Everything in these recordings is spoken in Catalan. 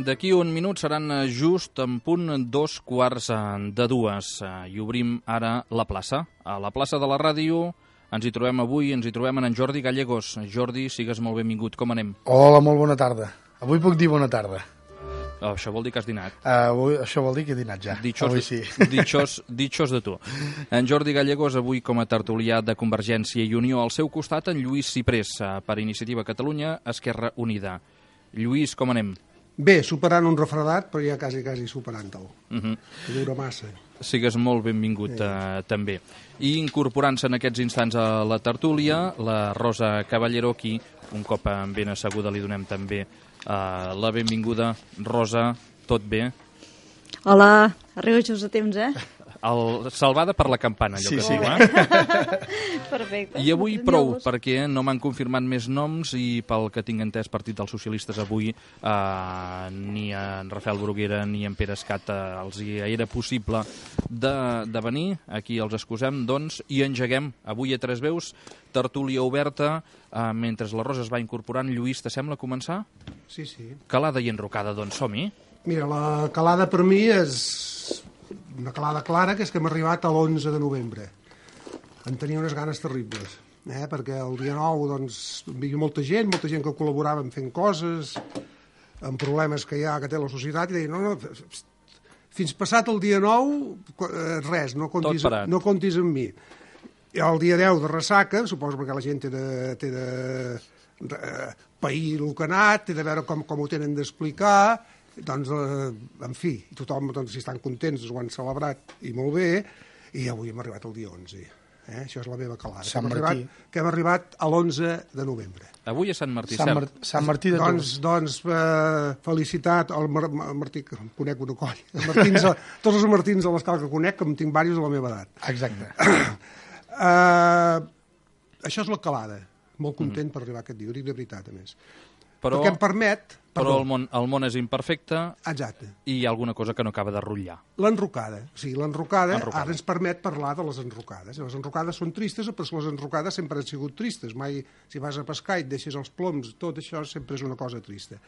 D'aquí un minut seran just en punt 2:15 i obrim ara la plaça. A la plaça de la ràdio ens hi trobem avui, ens hi trobem en Jordi Gallegos. Jordi, sigues molt benvingut. Com anem? Hola, molt bona tarda. Avui puc dir bona tarda. Oh, això vol dir que has dinat. Això vol dir que he dinat ja. Avui sí. Ditxós de tu. En Jordi Gallegos, avui com a tertulià de Convergència i Unió. Al seu costat, en Lluís Ciprés, per Iniciativa Catalunya, Esquerra Unida. Lluís, com anem? Bé, superant un refredat, però ja quasi superant-te'l. Dura massa. Sigues molt benvingut també. I incorporant-se en aquests instants a la tertúlia, la Rosa Caballero, aquí, un cop ben asseguda, li donem també la benvinguda. Rosa, tot bé? Hola, arribo just a temps, Salvada per la campana, allò que es diu, Perfecte. I avui prou, perquè no m'han confirmat més noms i pel que tinc entès, Partit dels Socialistes avui ni en Rafael Bruguera ni en Pere Escat els hi era possible de venir. Aquí els excusem, doncs, i engeguem avui a tres veus, tertúlia oberta, mentre la Rosa es va incorporant. Lluís, t'assembla començar? Sí, sí. Calada i enrocada, doncs som-hi. Mira, la calada per mi és una calada clara, que és que hem arribat a l'11 de novembre. En tenia unes ganes terribles, perquè el dia 9 doncs, hi havia molta gent que col·laborava fent coses, amb problemes que té la societat, i deia, no, fins passat el dia 9, res, no comptis amb mi. I el dia 10 de ressaca, suposo perquè la gent té de pair el que ha anat, té de veure com ho tenen d'explicar, doncs, en fi, tothom, si estan contents, ho han celebrat i molt bé, i avui hem arribat al dia 11. Això és la meva calada. Que hem arribat a l'11 de novembre. Avui és Sant Martí, cert? Sant Martí de Tours. Doncs felicitat al Martí, que em conec una colla. Tots els Martins de l'Escala que conec, que en tinc diversos de la meva edat. Exacte. Això és la calada. Molt content per arribar aquest dia, ho dic de veritat, a més. Però em permet... Però el món és imperfecte. Exacte. I hi ha alguna cosa que no acaba de rotllar. L'enrocada. O sigui, l'enrocada ara ens permet parlar de les enrocades. Les enrocades són tristes, però les enrocades sempre han sigut tristes. Mai, si vas a pescar i et deixes els ploms, tot això sempre és una cosa trista.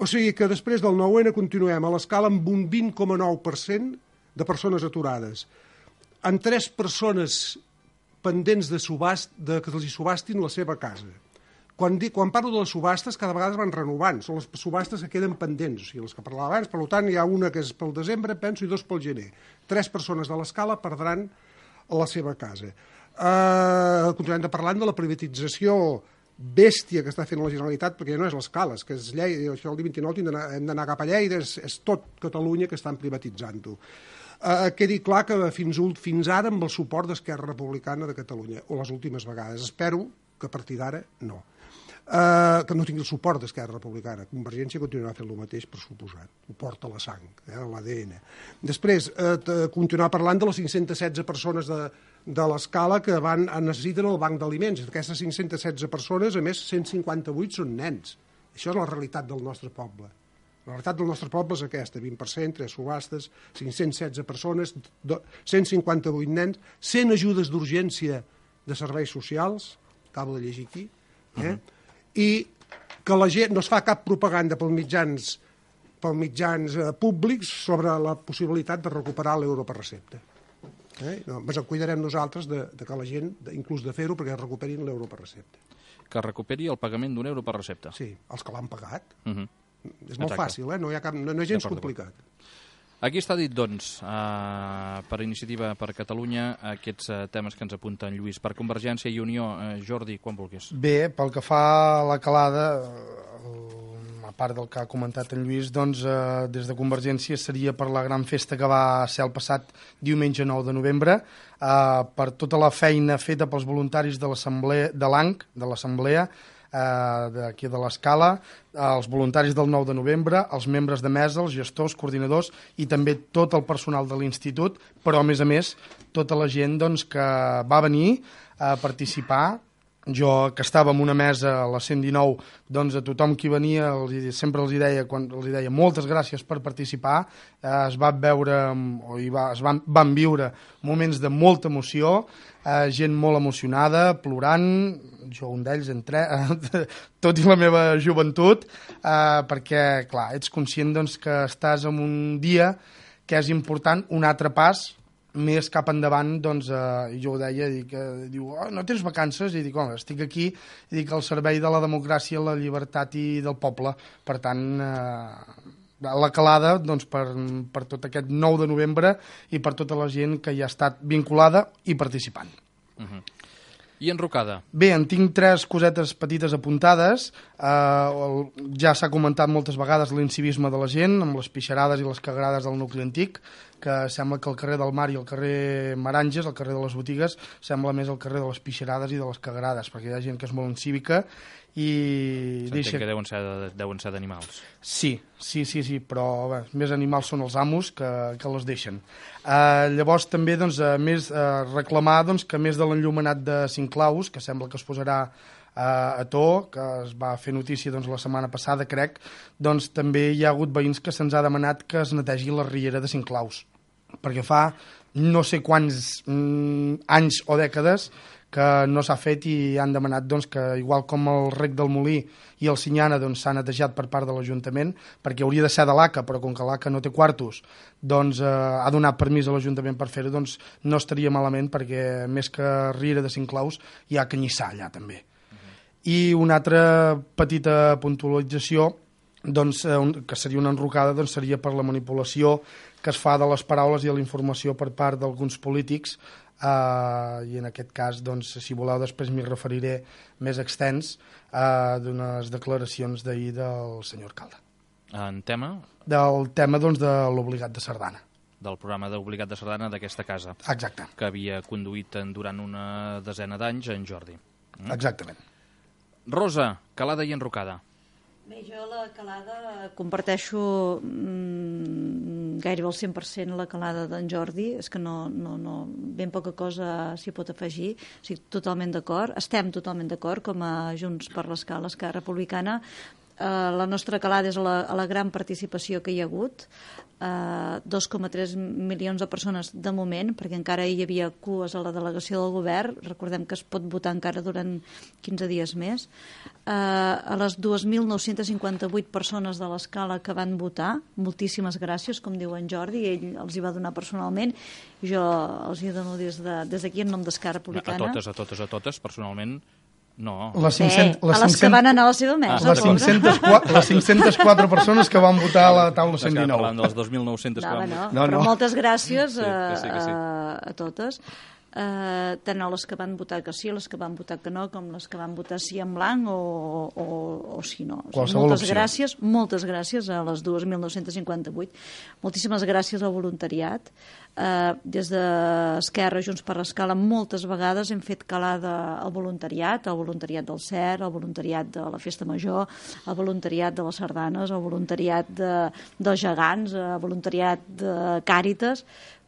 O sigui que després del 9-N continuem a l'escala amb un 20,9% de persones aturades. En 3 persones pendents de que els hi subhastin la seva casa. Quan parlo de les subhastes, cada vegada van renovant. Són les subhastes que queden pendents, o sigui, les que parlava abans. Per tant, hi ha una que és pel desembre, penso, i 2 pel gener. 3 persones de l'escala perdran la seva casa. Continuem parlant de la privatització bèstia que està fent la Generalitat, perquè ja no és l'escala, és que és Lleida, això el dia 29 hem d'anar cap a Lleida, és tot Catalunya que estan privatitzant-ho. Quedi clar que fins ara amb el suport d'Esquerra Republicana de Catalunya, o les últimes vegades. Espero que a partir d'ara no. Que no tingui el suport d'Esquerra Republicana. Convergència continuarà fent el mateix, per suposat. Ho porta la sang, l'ADN. Després, continuar parlant de les 516 persones de l'escala que necessiten el banc d'aliments. D'aquestes 516 persones, a més, 158 són nens. Això és la realitat del nostre poble. La realitat del nostre poble és aquesta, 20%, 3 subhastes, 516 persones, 158 nens, 100 ajudes d'urgència de serveis socials, acabo de llegir aquí, i que la gent no es fa cap propaganda pels mitjans públics sobre la possibilitat de recuperar l'euro per recepta. Ens en cuidarem nosaltres de que la gent, inclús de fer-ho, perquè recuperin l'euro per recepta. Que recuperi el pagament d'un euro per recepta. Sí, els que l'han pagat. És molt fàcil, no és gens complicat. Aquí està dit, doncs, per Iniciativa per Catalunya, aquests temes que ens apunta en Lluís. Per Convergència i Unió, Jordi, quan vulguis. Bé, pel que fa a la calada, a part del que ha comentat en Lluís, doncs des de Convergència seria per la gran festa que va ser el passat diumenge 9 de novembre, per tota la feina feta pels voluntaris de l'Assemblea de l'ANC, de l'Assemblea, d'aquí de l'Escala, els voluntaris del 9 de novembre, els membres de mesa, els gestors, coordinadors i també tot el personal de l'institut, però a més tota la gent doncs, que va venir a participar. Jo, que estava en una mesa a la 119, doncs a tothom qui venia sempre els deia moltes gràcies per participar. Es van veure, van viure moments de molta emoció, gent molt emocionada, plorant, jo un d'ells, tot i la meva joventut, perquè, clar, ets conscient doncs, que estàs en un dia que és important, un altre pas, més cap endavant, doncs, jo ho deia, diu, no tens vacances? I dic, home, estic aquí, i dic, al servei de la democràcia, la llibertat i del poble. Per tant, la calada, doncs, per tot aquest 9 de novembre i per tota la gent que hi ha estat vinculada i participant. I enrocada? Bé, en tinc 3 cosetes petites apuntades. Ja s'ha comentat moltes vegades l'incivisme de la gent, amb les pixarades i les cagarades del nucli antic, que sembla que el carrer del Mar i el carrer Maranges, el carrer de les botigues, sembla més el carrer de les pixarades i de les cagarades, perquè hi ha gent que és molt incívica i... S'entén que deuen ser d'animals. Sí, però bé, més animals són els amos que les deixen. Llavors també doncs, reclamar doncs, que més de l'enllumenat de Cinclaus, que sembla que es posarà a to, que es va fer notícia doncs, la setmana passada, crec, doncs també hi ha hagut veïns que se'ns ha demanat que es netegi la riera de Cinclaus, perquè fa no sé quants anys o dècades que no s'ha fet i han demanat doncs, que, igual com el rec del Molí i el Sinyana doncs, s'ha netejat per part de l'Ajuntament, perquè hauria de ser de l'ACA, però com que l'ACA no té quartos, doncs ha donat permís a l'Ajuntament per fer-ho, doncs no estaria malament, perquè més que riera de Cinclaus hi ha Canyissar allà també. I una altra petita puntualització, doncs, que seria una enrocada, doncs, seria per la manipulació que es fa de les paraules i de la informació per part d'alguns polítics, i en aquest cas, doncs, si voleu, després m'hi referiré més extens d'unes declaracions d'ahir del senyor alcalde. En tema? Del tema, doncs, de l'obligat de Sardana. Del programa d'obligat de Sardana d'aquesta casa. Exacte. Que havia conduït durant una desena d'anys en Jordi. Exactament. Rosa, calada i enrocada. Bé, jo la calada comparteixo gairebé al 100% la calada d'en Jordi, és que no, ben poca cosa s'hi pot afegir, o sigui, totalment d'acord, estem totalment d'acord com a Junts per l'Escala, Esquerra Republicana. La nostra calada és a la gran participació que hi ha hagut, 2,3 milions de persones de moment, perquè encara hi havia cues a la delegació del govern, recordem que es pot votar encara durant 15 dies més, a les 2.958 persones de l'Escala que van votar, moltíssimes gràcies, com diu en Jordi, ell els hi va donar personalment, i jo els hi dono des d'aquí en nom d'Esquerra Republicana. A totes, personalment. No. A les que van anar a la seva mesa. Les 504 persones que van votar a la taula 119. Parlant de les 2.900 no, però moltes gràcies a totes. Tant a les que van votar que sí, a les que van votar que no, com les que van votar sí en blanc o si no. Moltes gràcies a les 2.958. Moltíssimes gràcies al voluntariat. Des d'Esquerra, Junts per l'Escala, moltes vegades hem fet calada al voluntariat del CER, el voluntariat de la Festa Major, el voluntariat de les sardanes, el voluntariat dels gegants, el voluntariat de Càritas,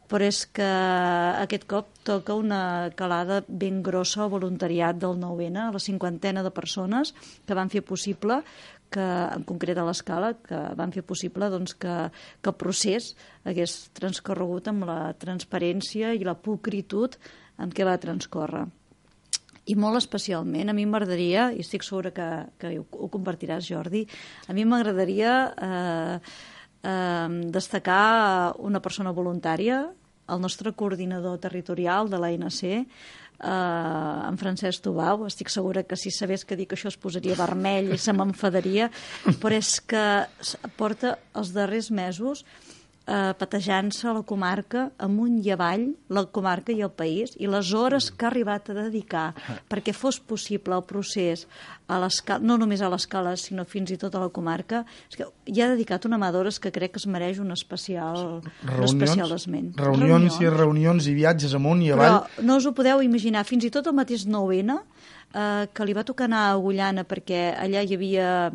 però és que aquest cop toca una calada ben grossa al voluntariat del 9N, a la 50ena de persones que van fer possible, que en concret a l'Escala, que van fer possible doncs, que el procés hagués transcorregut amb la transparència i la pulcritud amb què va transcórrer. I molt especialment, a mi m'agradaria, i estic segura que ho compartiràs, Jordi, a mi m'agradaria destacar una persona voluntària, el nostre coordinador territorial de l'ANC, en Francesc Tubau. Estic segura que si sabés que dic això es posaria vermell i se m'enfadaria, però és que porta els darrers mesos patejant-se a la comarca amunt i avall, la comarca i el país, i les hores que ha arribat a dedicar perquè fos possible el procés a l'Escala, no només a l'Escala, sinó fins i tot a la comarca. És que hi ha dedicat una mà d'hores que crec que es mereix un especial esment. Reunions i viatges amunt i avall. Però no us ho podeu imaginar, fins i tot el mateix 9N, que li va tocar anar a Agullana perquè allà hi havia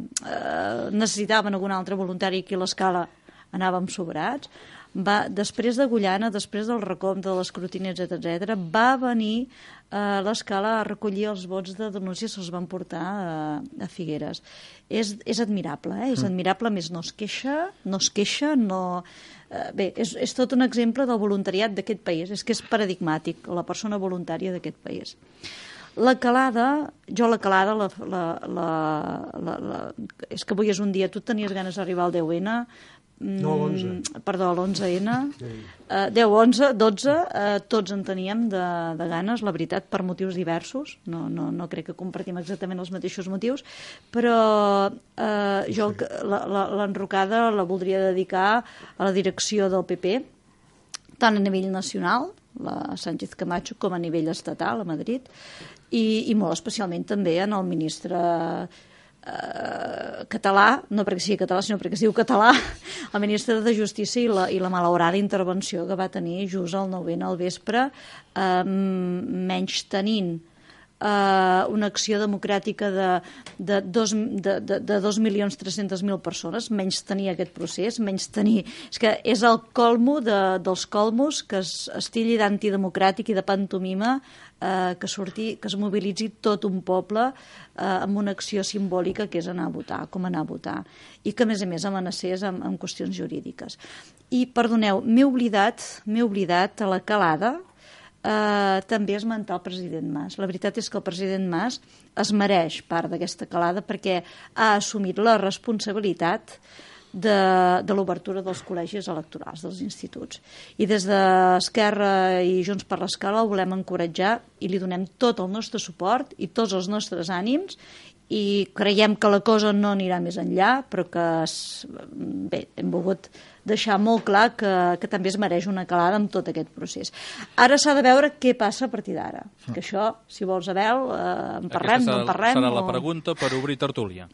necessitaven algun altre voluntari aquí a l'Escala, anàvem sobrats. després d'Agullana, després del recompte de l'escrutini, etc., va venir l'Escala a recollir els vots de denúncia i se'ls van portar a Figueres. És admirable, és admirable, a més no es queixa, Bé, és tot un exemple del voluntariat d'aquest país, és que és paradigmàtic, la persona voluntària d'aquest país. La calada, és que avui és un dia, tu tenies ganes d'arribar al 10N, no, l'11. Perdó, l'11N. 10, 11, 12, tots en teníem de ganes, la veritat, per motius diversos. No crec que compartim exactament els mateixos motius, però jo l'enrocada la voldria dedicar a la direcció del PP, tant a nivell nacional, la Sánchez Camacho, com a nivell estatal, a Madrid, i molt especialment també en el ministre català, no perquè sigui català, sinó perquè es diu català, el ministre de Justícia i la malaurada intervenció que va tenir just el 9/9 al vespre, menys tenint una acció democràtica de 2.300.000 persones, menys tenir aquest procés, menys tenir... És que és el colmo dels colmos que es estilli d'antidemocràtic i de pantomima que es mobilitzi tot un poble amb una acció simbòlica que és anar a votar, com anar a votar, i que a més amenacés amb qüestions jurídiques. I, perdoneu, m'he oblidat a la calada també esmentar el president Mas. La veritat és que el president Mas es mereix part d'aquesta calada perquè ha assumit la responsabilitat de l'obertura dels col·legis electorals, dels instituts. I des d'Esquerra i Junts per l'Escala el volem encoratjar i li donem tot el nostre suport i tots els nostres ànims i creiem que la cosa no anirà més enllà, però que bé, hem volgut deixar molt clar que també es mereix una calada amb tot aquest procés. Ara s'ha de veure què passa a partir d'ara. Que això, si vols, Abel, en parlem, no en parlem... Serà la pregunta per obrir tertúlia.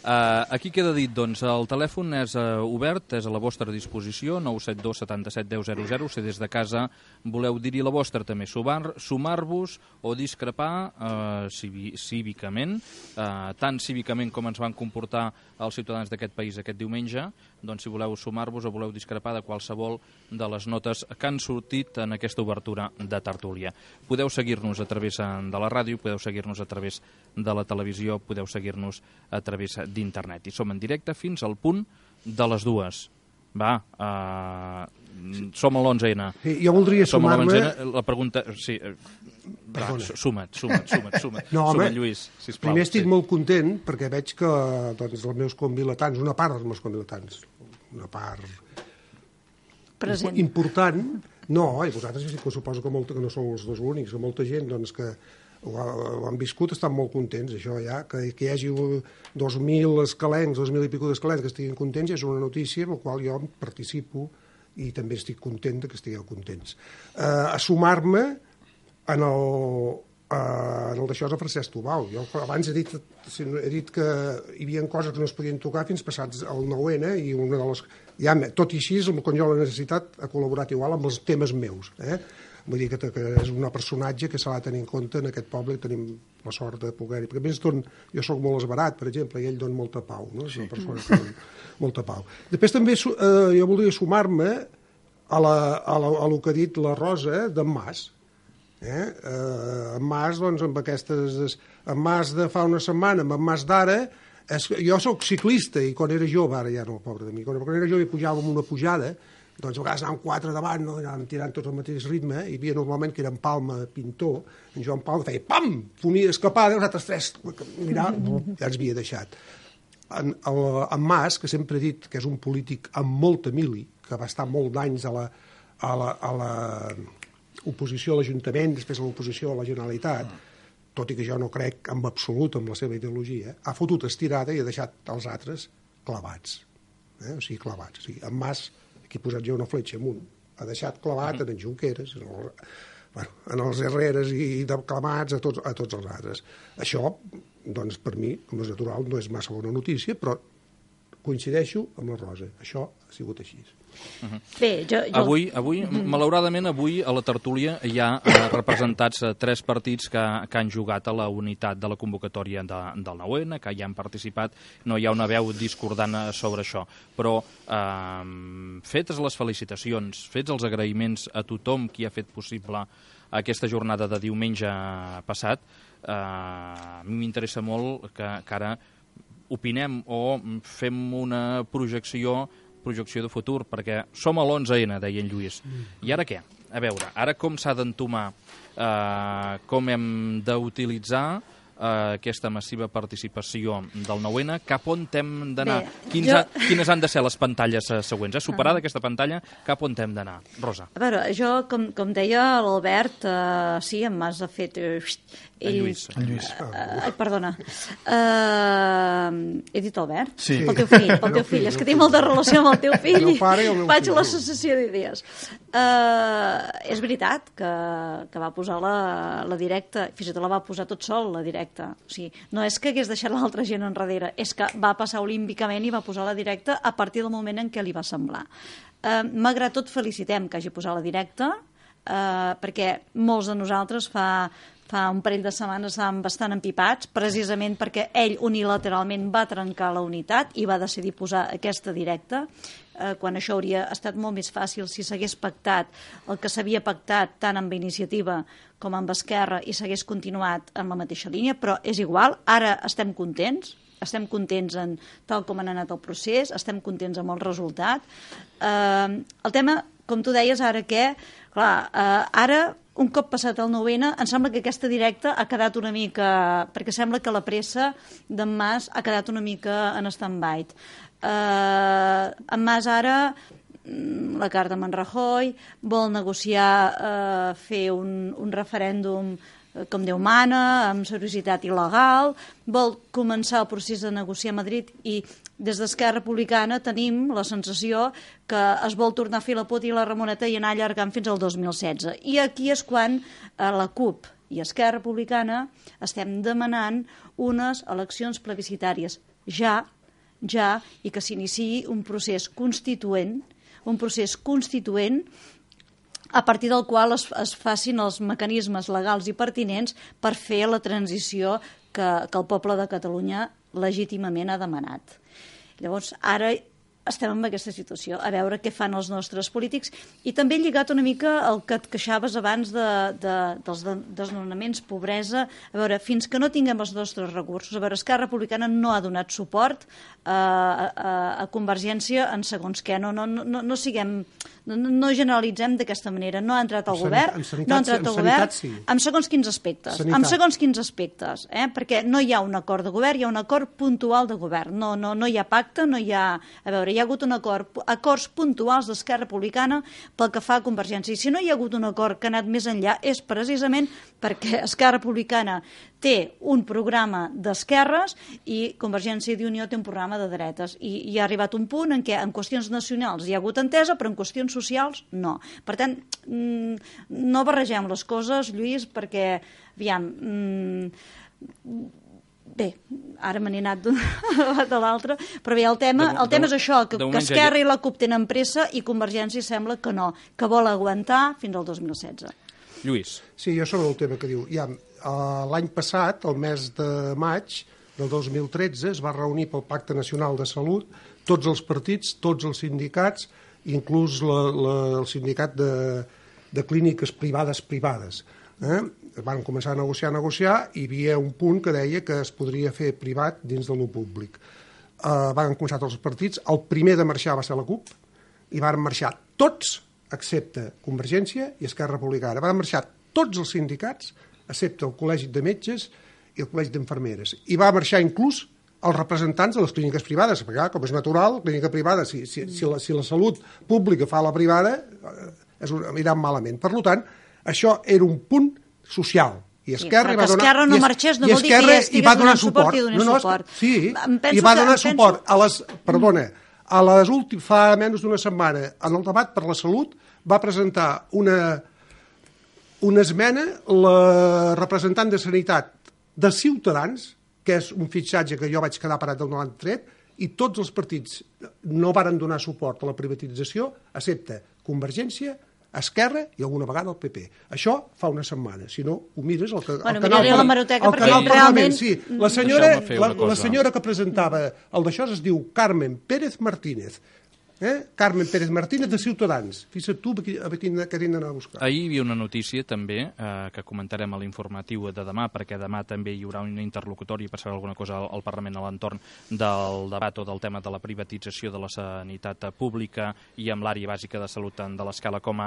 Aquí queda dit, doncs, el telèfon és obert, és a la vostra disposició, 972 77 10 00, si des de casa voleu dir-hi la vostra també, sumar-vos o discrepar cívicament, tant cívicament com ens van comportar els ciutadans d'aquest país aquest diumenge, doncs si voleu sumar-vos o voleu discrepar de qualsevol de les notes que han sortit en aquesta obertura de tertúlia. Podeu seguir-nos a través de la ràdio, podeu seguir-nos a través de la televisió, podeu seguir-nos a través d'internet. I som en directe fins al punt de les 2. Som a l'11N. Jo voldria sumar-me... La pregunta... Sí, suma't, no, home, Lluís, sisplau. Primer estic molt content perquè veig que doncs, els meus convilatans, una part dels meus convilatans, una part present important, no, i vosaltres sí que suposo que no sou els dos únics, que molta gent doncs, que ho han viscut, estan molt contents, això ja, que hi hagi 2.000 escalencs, 2.000 i pico d'escalencs que estiguin contents, és una notícia en la qual jo participo i també estic content que estigueu contents. A sumar-me en el d'això és el Francesc Tubau. Jo abans he dit que hi havia coses que no es podien tocar fins passats el 9N i una de les... Ja, tot i així, quan jo l'he necessitat, ha col·laborat igual amb els temes meus. Vull dir que és un personatge que s'ha de tenir en compte en aquest poble, tenim la sort de poder-hi. Perquè a més jo soc molt esbarat, per exemple, i ell dona molta pau, no? És una persona que dona molta pau. Després també jo voldria sumar-me a lo que ha dit la Rosa d'en Mas. En Mas, doncs, amb aquestes... En Mas de fa una setmana, amb en Mas d'ara... Jo sóc ciclista i quan era jove, ara ja no, pobre de mi, quan era jove pujàvem una pujada, doncs a vegades anàvem 4 davant, no? Anàvem tirant tot el mateix ritme, hi havia normalment que era en Palma pintor, en Joan Palma feia pam, fonia escapada, els altres 3 miràvem, ja ens havia deixat. En Mas, que sempre he dit que és un polític amb molta mili, que va estar molt d'anys a la oposició a l'Ajuntament, després a l'oposició a la Generalitat, tot i que jo no crec en absolut amb la seva ideologia, ha fotut estirada i ha deixat els altres clavats. O sigui, clavats. O sigui, en Mas, aquí he posat jo una fletxa amunt, ha deixat clavat en Junqueras, en els Herreres i clavats a tots els altres. Això, doncs, per mi, com és natural, no és massa bona notícia, però coincideixo amb la Rosa. Això ha sigut així. Bé, Avui, malauradament, avui a la tertúlia hi ha representats 3 partits que han jugat a la unitat de la convocatòria del 9N, que hi han participat, no hi ha una veu discordant sobre això, però fetes les felicitacions, fets els agraïments a tothom qui ha fet possible aquesta jornada de diumenge passat, a mi m'interessa molt que ara opinem o fem una projecció de futur, perquè som a l'11N, deia en Lluís. I ara què? A veure, ara com s'ha d'entomar, com hem d'utilitzar aquesta massiva participació del 9N, cap on hem d'anar? Quines han de ser les pantalles següents? Superada aquesta pantalla, cap on hem d'anar? Rosa. A veure, jo, com deia l'Albert, sí, en Mas ha fet... En Lluís. Perdona. He dit Albert? Sí. Pel teu fill. És que tinc molta relació amb el teu fill i faig l'associació d'idees. És veritat que va posar la directa, fins i tot la va posar tot sol, la directa. O sigui, no és que hagués deixat l'altra gent enrere, és que va passar olímpicament i va posar la directa a partir del moment en què li va semblar. Malgrat tot, felicitem que hagi posat la directa, perquè molts de nosaltres fa un parell de setmanes estàvem bastant empipats, precisament perquè ell unilateralment va trencar la unitat i va decidir posar aquesta directa, quan això hauria estat molt més fàcil si s'hagués pactat el que s'havia pactat tant amb Iniciativa com amb Esquerra i s'hagués continuat en la mateixa línia, però és igual, ara estem contents en tal com han anat el procés, estem contents amb el resultat. El tema, com tu deies, ara què? Clar, ara, un cop passat el 9N, em sembla que aquesta directa ha quedat una mica... perquè sembla que la pressa d'en Mas ha quedat una mica en stand-by. En Mas ara, la carta amb en Rajoy, vol negociar fer un referèndum com Déu mana, amb seriositat il·legal, vol començar el procés de negociar a Madrid i des d'Esquerra Republicana tenim la sensació que es vol tornar a fer la pota i la ramoneta i anar allargant fins al 2016. I aquí és quan la CUP i Esquerra Republicana estem demanant unes eleccions plebiscitàries ja, i que s'iniciï un procés constituent a partir del qual es facin els mecanismes legals i pertinents per fer la transició que el poble de Catalunya legítimament ha demanat. Llavors, ara estem en aquesta situació, a veure què fan els nostres polítics i també lligat una mica el que et queixaves abans dels desnonaments, pobresa. A veure, fins que no tinguem els nostres recursos, a veure, Esquerra Republicana no ha donat suport a Convergència en segons què, no siguem... No generalitzem d'aquesta manera. No ha entrat al govern, en segons quins aspectes. Perquè no hi ha un acord de govern, hi ha un acord puntual de govern. No hi ha pacte, no hi ha... A veure, hi ha hagut un acords puntuals d'Esquerra Republicana pel que fa a Convergència. I si no hi ha hagut un acord que ha anat més enllà és precisament perquè Esquerra Republicana té un programa d'esquerres i Convergència i Unió té un programa de dretes. I ha arribat un punt en què en qüestions nacionals hi ha hagut entesa, però en qüestions socials no. Per tant, no barregem les coses, Lluís, perquè, aviam, bé, ara me n'he anat de l'altre, però bé, el tema és això, que Esquerra i la CUP tenen pressa i Convergència sembla que no, que vol aguantar fins al 2016. Lluís. Sí, jo sobre el tema que diu. L'any passat, el mes de maig del 2013, es va reunir pel Pacte Nacional de Salut tots els partits, tots els sindicats, inclús el sindicat de clíniques privades. Van començar a negociar i hi havia un punt que deia que es podria fer privat dins de lo públic. Van començar tots els partits, el primer de marxar va ser la CUP i van marxar tots, excepte Convergència i Esquerra Republicana. Van marxar tots els sindicats, excepte el Col·legi de Metges i el Col·legi d'Infermeres. I va marxar inclús els representants de les clíniques privades, perquè, com és natural, clínica privada, si la salut pública fa la privada, anirà malament. Per tant, això era un punt social. I Esquerra que Esquerra no marxés no vol dir que estigués donant suport i donés suport. Sí, i va donar suport a les... Perdona, fa menys d'una setmana, en el debat per la salut, va presentar una esmena la representant de Sanitat de Ciutadans, que és un fitxatge que jo vaig quedar parat del 93, i tots els partits no varen donar suport a la privatització, excepte Convergència, Esquerra i alguna vegada el PP. Això fa una setmana. Si no, ho mires al canal Parlament. Sí. La senyora que presentava el d'això es diu Carmen Pérez Martínez. Carmen Pérez Martínez de Ciutadans. Fixa't tu que hem d'anar a buscar. Ahir hi havia una notícia també que comentarem a l'informatiu de demà, perquè demà també hi haurà un interlocutori i passarà alguna cosa al Parlament a l'entorn del debat o del tema de la privatització de la sanitat pública i amb l'àrea bàsica de salut de l'Escala com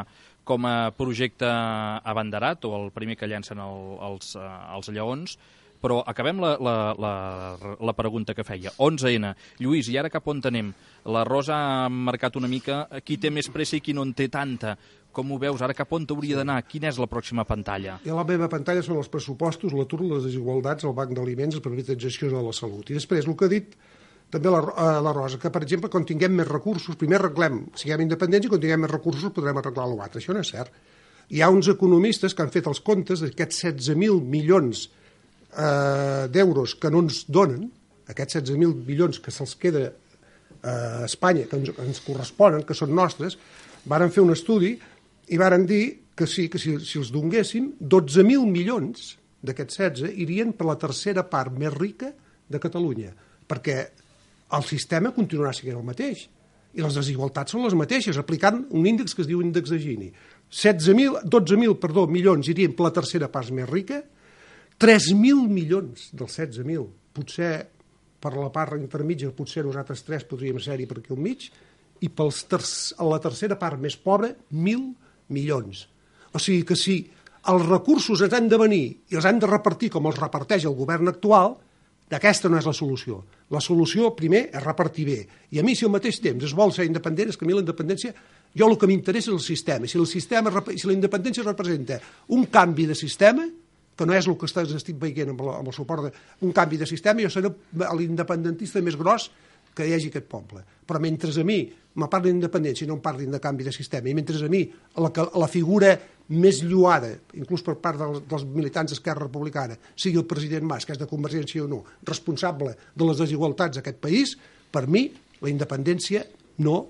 a projecte abanderat o el primer que llancen els lleons. Però acabem la pregunta que feia. 11N. Lluís, i ara cap on anem? La Rosa ha marcat una mica qui té més pressa i qui no en té tanta. Com ho veus? Ara cap on t'hauria d'anar? Quina és la pròxima pantalla? I la meva pantalla són els pressupostos, l'atur, les desigualtats, el banc d'aliments, la privatització de la salut. I després, el que ha dit també la Rosa, que, per exemple, quan tinguem més recursos, primer arreglem, siguem independents i quan tinguem més recursos podrem arreglar l'altre. Això no és cert. Hi ha uns economistes que han fet els comptes d'aquests 16.000 milions d'euros que no ens donen, aquests 16.000 milions que se'ls queda a Espanya, que ens corresponen, que són nostres, varen fer un estudi i varen dir que sí, que si els donguéssim, 12.000 milions d'aquests 16 irien per la tercera part més rica de Catalunya, perquè el sistema continuarà sent el mateix i les desigualtats són les mateixes, aplicant un índex que es diu índex de Gini. 12.000 milions irien per la tercera part més rica, 3.000 milions dels 16.000, potser per la part intermitja, potser nosaltres 3 podríem ser-hi per aquí al mig, i a la tercera part més pobra, 1.000 milions. O sigui que si els recursos ens han de venir i els han de repartir com els reparteix el govern actual, aquesta no és la solució. La solució, primer, és repartir bé. I a mi, si al mateix temps es vol ser independent, és que a mi la independència, jo el que m'interessa és el sistema. Si la independència representa un canvi de sistema, que no és el que estic veient amb el suport d'un canvi de sistema, jo seré l'independentista més gros que hi hagi aquest poble. Però mentre a mi me parlin d'independència i no em parlin de canvi de sistema, i mentre a mi la figura més lloada, inclús per part dels militants d'Esquerra Republicana, sigui el president Mas, que és de Convergència o no, responsable de les desigualtats d'aquest país, per mi la independència no...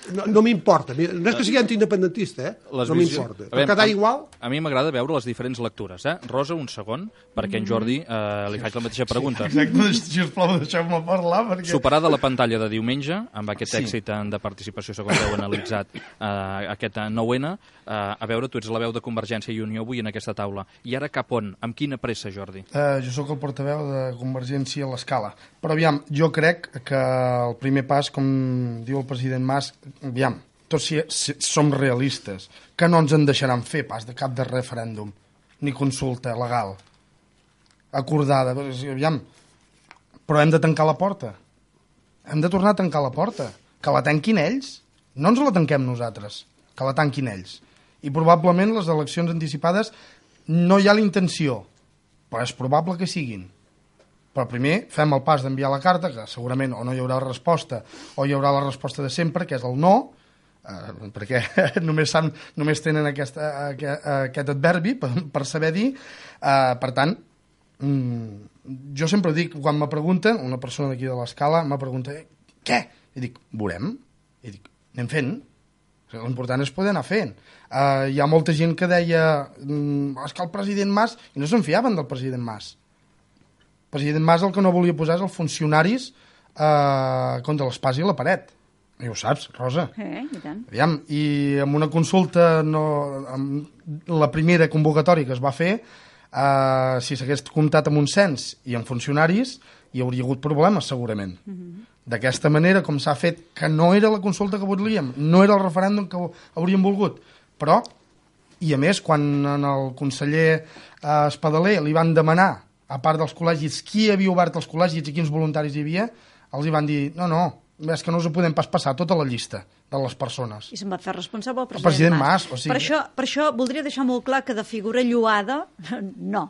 no m'importa, no és que sigui antiindependentista, no m'importa. Per quedar igual... A mi m'agrada veure les diferents lectures. Rosa, un segon, perquè en Jordi li faig la mateixa pregunta. Exacte, sisplau, deixeu-me parlar. Perquè... Superada la pantalla de diumenge, amb aquest èxit de participació, segons heu analitzat aquest 9N, a veure, tu ets la veu de Convergència i Unió avui en aquesta taula. I ara cap on? Amb quina pressa, Jordi? Jo sóc el portaveu de Convergència a l'Escala. Però aviam, jo crec que el primer pas, com diu el president Mas, aviam, tots si som realistes, que no ens en deixaran fer pas de cap de referèndum, ni consulta legal, acordada, aviam, però hem de tancar la porta. Hem de tornar a tancar la porta. Que la tanquin ells, no ens la tanquem nosaltres, que la tanquin ells. I probablement les eleccions anticipades no hi ha la intenció, però és probable que siguin. Però primer fem el pas d'enviar la carta, que segurament o no hi haurà resposta o hi haurà la resposta de sempre, que és el no, perquè només tenen aquest adverbi per saber dir. Per tant, jo sempre dic, quan me pregunten, una persona d'aquí de l'Escala me pregunta, què? I dic, veurem. I dic, anem fent. L'important és poder anar fent. Hi ha molta gent que deia és que el president Mas... I no se'n fiaven del president Mas. El president Mas el que no volia posar és els funcionaris contra l'espasa i la paret. I ho saps, Rosa. I tant. Aviam, i amb una consulta, amb la primera convocatòria que es va fer, si s'hagués comptat amb un cens i amb funcionaris, hi hauria hagut problemes, segurament. D'aquesta manera, com s'ha fet, que no era la consulta que volíem, no era el referèndum que hauríem volgut, però, i a més, quan el conseller Espadaler li van demanar, a part dels col·legis, qui havia obert els col·legis i quins voluntaris hi havia, els hi van dir, no, és que no us ho podem pas passar tota la llista de les persones. I se'n va fer responsable el president Mas. O sigui... Per això voldria deixar molt clar que de figura lloada, no.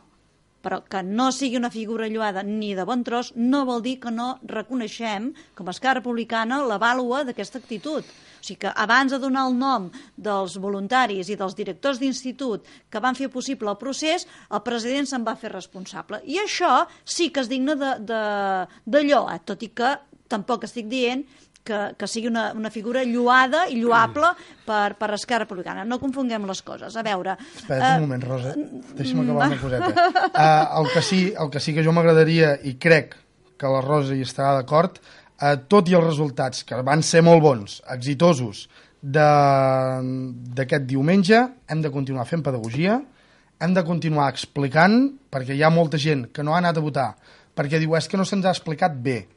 però que no sigui una figura lloada ni de bon tros no vol dir que no reconeixem, com a Esquerra Republicana, la vàlua d'aquesta actitud. O sigui que abans de donar el nom dels voluntaris i dels directors d'institut que van fer possible el procés, el president se'n va fer responsable. I això sí que és digne de lloar, tot i que tampoc estic dient que sigui una figura lloada i lloable per Esquerra Republicana. No confonguem les coses. A veure... Espera un moment, Rosa. Deixa'm acabar una coseta. El que sí que jo m'agradaria, i crec que la Rosa hi estarà d'acord, tot i els resultats, que van ser molt bons, exitosos, d'aquest diumenge, hem de continuar fent pedagogia, hem de continuar explicant, perquè hi ha molta gent que no ha anat a votar, perquè diu, és que no se'ns ha explicat bé.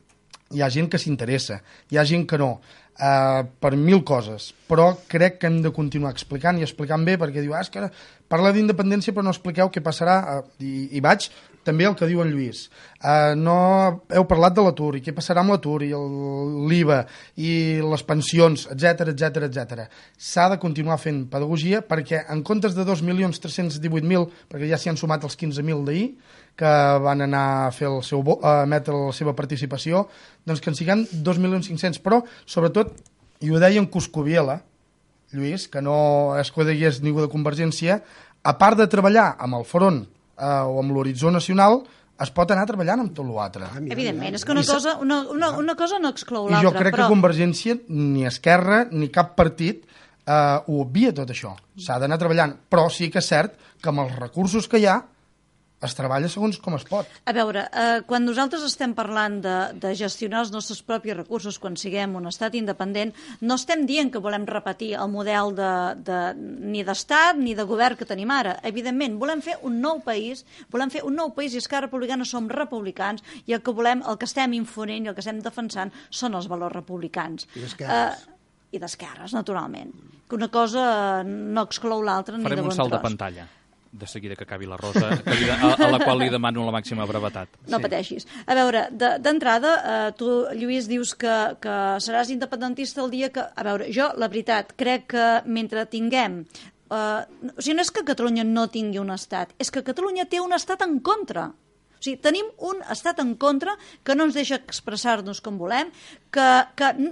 Hi ha gent que s'interessa, hi ha gent que no, per 1000 coses, però crec que hem de continuar explicant i explicant bé, perquè diu, és que parla d'independència però no expliqueu què passarà, i vaig també el que diu en Lluís. No heu parlat de l'atur, i què passarà amb l'atur, i l'IVA, i les pensions, etc. S'ha de continuar fent pedagogia, perquè en comptes de 2.318.000, perquè ja s'hi han sumat els 15.000 d'ahir, que van anar a fer a emetre la seva participació, doncs que en siguin 2.500.000, però sobretot, i ho deia en Coscubiela, Lluís, que no és que ho digués ningú de Convergència, a part de treballar amb el front o amb l'horitzó nacional, es pot anar treballant amb tot l'altre. Evidentment, és que una cosa no exclou l'altra. I jo crec que Convergència, ni Esquerra, ni cap partit ho obvia tot això. S'ha d'anar treballant, però sí que és cert que amb els recursos que hi ha es treballa segons com es pot. A veure, quan nosaltres estem parlant de gestionar els nostres propis recursos quan siguem un estat independent, no estem dient que volem repetir el model ni d'estat ni de govern que tenim ara. Evidentment, volem fer un nou país i Esquerra Republicana som republicans i el que estem infonent i el que estem defensant són els valors republicans. I d'esquerres. I d'esquerres, naturalment. Que una cosa no exclou l'altra ni de bon tros. Farem un salt de pantalla de seguida que acabi la Rosa, a la qual li demano la màxima brevetat. No pateixis. A veure, d'entrada, tu, Lluís, dius que seràs independentista el dia que... A veure, jo, la veritat, crec que mentre tinguem... O sigui, no és que Catalunya no tingui un estat, és que Catalunya té un estat en contra. O sigui, tenim un estat en contra que no ens deixa expressar-nos com volem, que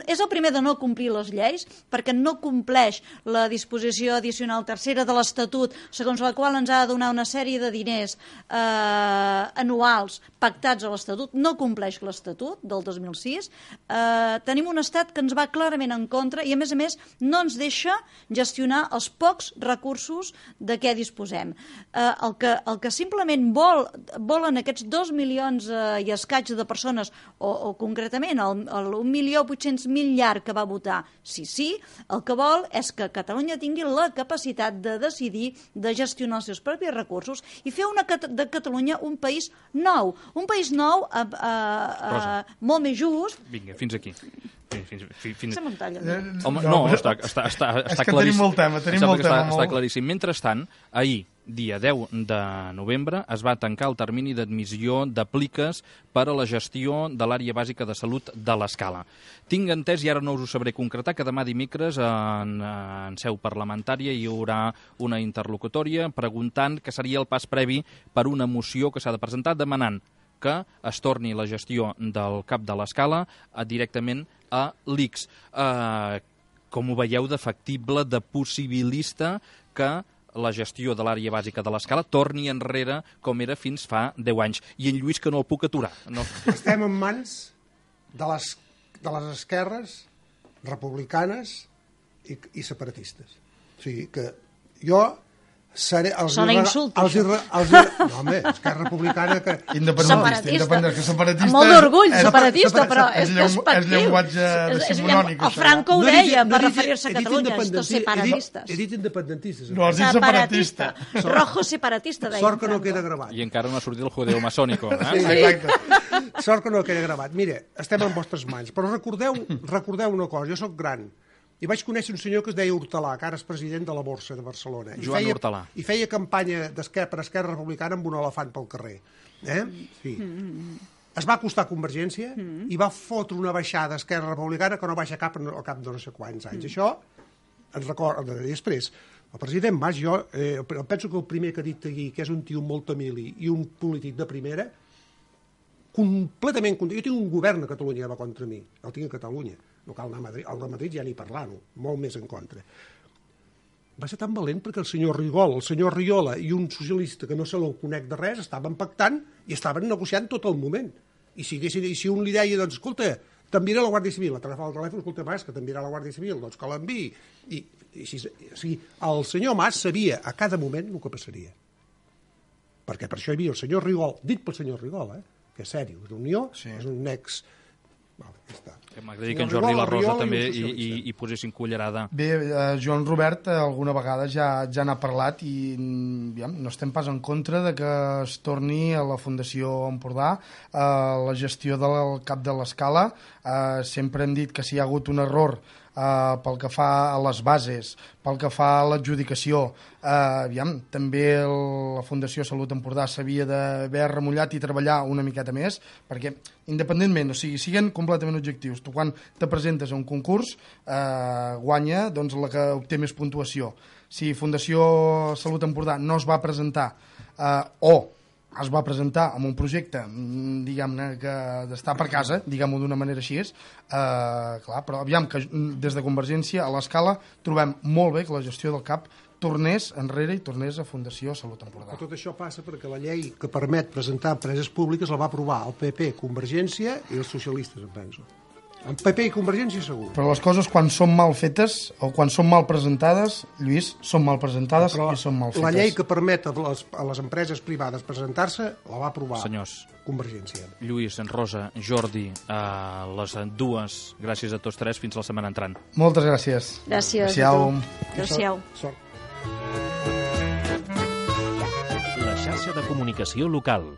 és el primer de no complir les lleis, perquè no compleix la disposició addicional tercera de l'Estatut, segons la qual ens ha de donar una sèrie de diners anuals pactats a l'Estatut, no compleix l'Estatut del 2006. Tenim un estat que ens va clarament en contra i, a més, no ens deixa gestionar els pocs recursos de què disposem. El que simplement volen aquests 2 milions i escaig de persones, o concretament el 1.800.000 llarg que va votar sí, el que vol és que Catalunya tingui la capacitat de decidir, de gestionar els seus propis recursos i fer de Catalunya un país nou. Un país nou molt més just. Vinga, fins aquí. Se muntalla. Home, no, està claríssim. És que tenim molt tema. Està claríssim. Mentrestant, ahir, dia 10 de novembre, es va tancar el termini d'admissió de pliques per a la gestió de l'àrea bàsica de salut de l'Escala. Tinc entès, i ara no us ho sabré concretar, que demà dimecres en seu parlamentària hi haurà una interlocutòria preguntant que seria el pas previ per una moció que s'ha de presentar demanant que es torni la gestió del CAP de l'Escala directament a l'ICS. Com ho veieu de factible, de possibilista que la gestió de l'àrea bàsica de l'Escala torni enrere com era fins fa 10 anys. I en Lluís, que no el puc aturar. No. Estem en mans de les esquerres republicanes i separatistes. O sigui que jo seré... Sona insult, no, home, Esquerra Republicana que... Independentista. Amb molt d'orgull, separatista, però és despectiu. És llenguatge decimonònic. El Franco ho deia per referir-se a Catalunya, estos separatistes. He dit independentistes. No, has dit separatista. Rojo separatista, deia. Sort que no queda gravat. I encara no ha sortit el judeo-masònico. Sí, exacte. Sort que no queda gravat. Mire, estem en vostres mans, però recordeu una cosa, jo sóc gran, i vaig conèixer un senyor que es deia Hortalà, que ara és president de la Borsa de Barcelona. Joan Hortalà. I feia campanya per Esquerra Republicana amb un elefant pel carrer. Sí. Es va acostar a Convergència i va fotre una baixada a Esquerra Republicana que no baixa cap al cap de no sé quants anys. Això ens recorda després. El president Mas, jo penso que el primer que ha dit aquí, que és un tio molt tamili i un polític de primera, completament... Jo tinc un govern a Catalunya que va contra mi, el tinc a Catalunya, no cal anar a Madrid, el de Madrid ja ni parlar-ho, molt més en contra. Va ser tan valent perquè el senyor Rigol, el senyor Riola i un socialista que no se l'ho conec de res estaven pactant i estaven negociant tot el moment. I si un li deia, doncs, escolta, t'enviarà la Guàrdia Civil, a telèfon, escolta, Mas, que t'enviarà la Guàrdia Civil, doncs que l'enviï. O sigui, el senyor Mas sabia a cada moment el que passaria. Perquè per això hi havia el senyor Rigol, dit pel senyor Rigol, que és sèrio, és d'Unió, és un ex... Vale, ja està. M'agradaria que en Jordi i la Rosa també hi posessin cullerada. Bé, Joan Robert alguna vegada ja n'ha parlat i no estem pas en contra de que es torni a la Fundació Empordà la gestió del cap de l'Escala. Sempre hem dit que si hi ha hagut un error pel que fa a les bases, pel que fa a l'adjudicació, també la Fundació Salut Empordà s'havia d'haver remullat i treballar una miqueta més, perquè independentment, o sigui, siguin completament objectius, tu quan te presentes a un concurs guanya doncs, la que obté més puntuació. Si Fundació Salut Empordà no es va presentar o es va presentar amb un projecte, diguem-ne, que d'estar per casa, diguem-ho d'una manera així, clar, però aviam que des de Convergència a l'Escala trobem molt bé que la gestió del CAP tornés enrere i tornés a Fundació Salut Empordà. Tot això passa perquè la llei que permet presentar empreses públiques la va aprovar el PP, Convergència i els socialistes, em penso. En PP i Convergència segur. Però les coses quan són mal fetes o quan són mal presentades, Lluís, són mal presentades i són mal fetes. La llei que permet a les empreses privades presentar-se la va aprovar Convergència. Lluís, Rosa, Jordi, les dues, gràcies a tots tres, fins la setmana entrant. Moltes gràcies. Gràcies. Adéu. Sort. La xarxa de comunicació local.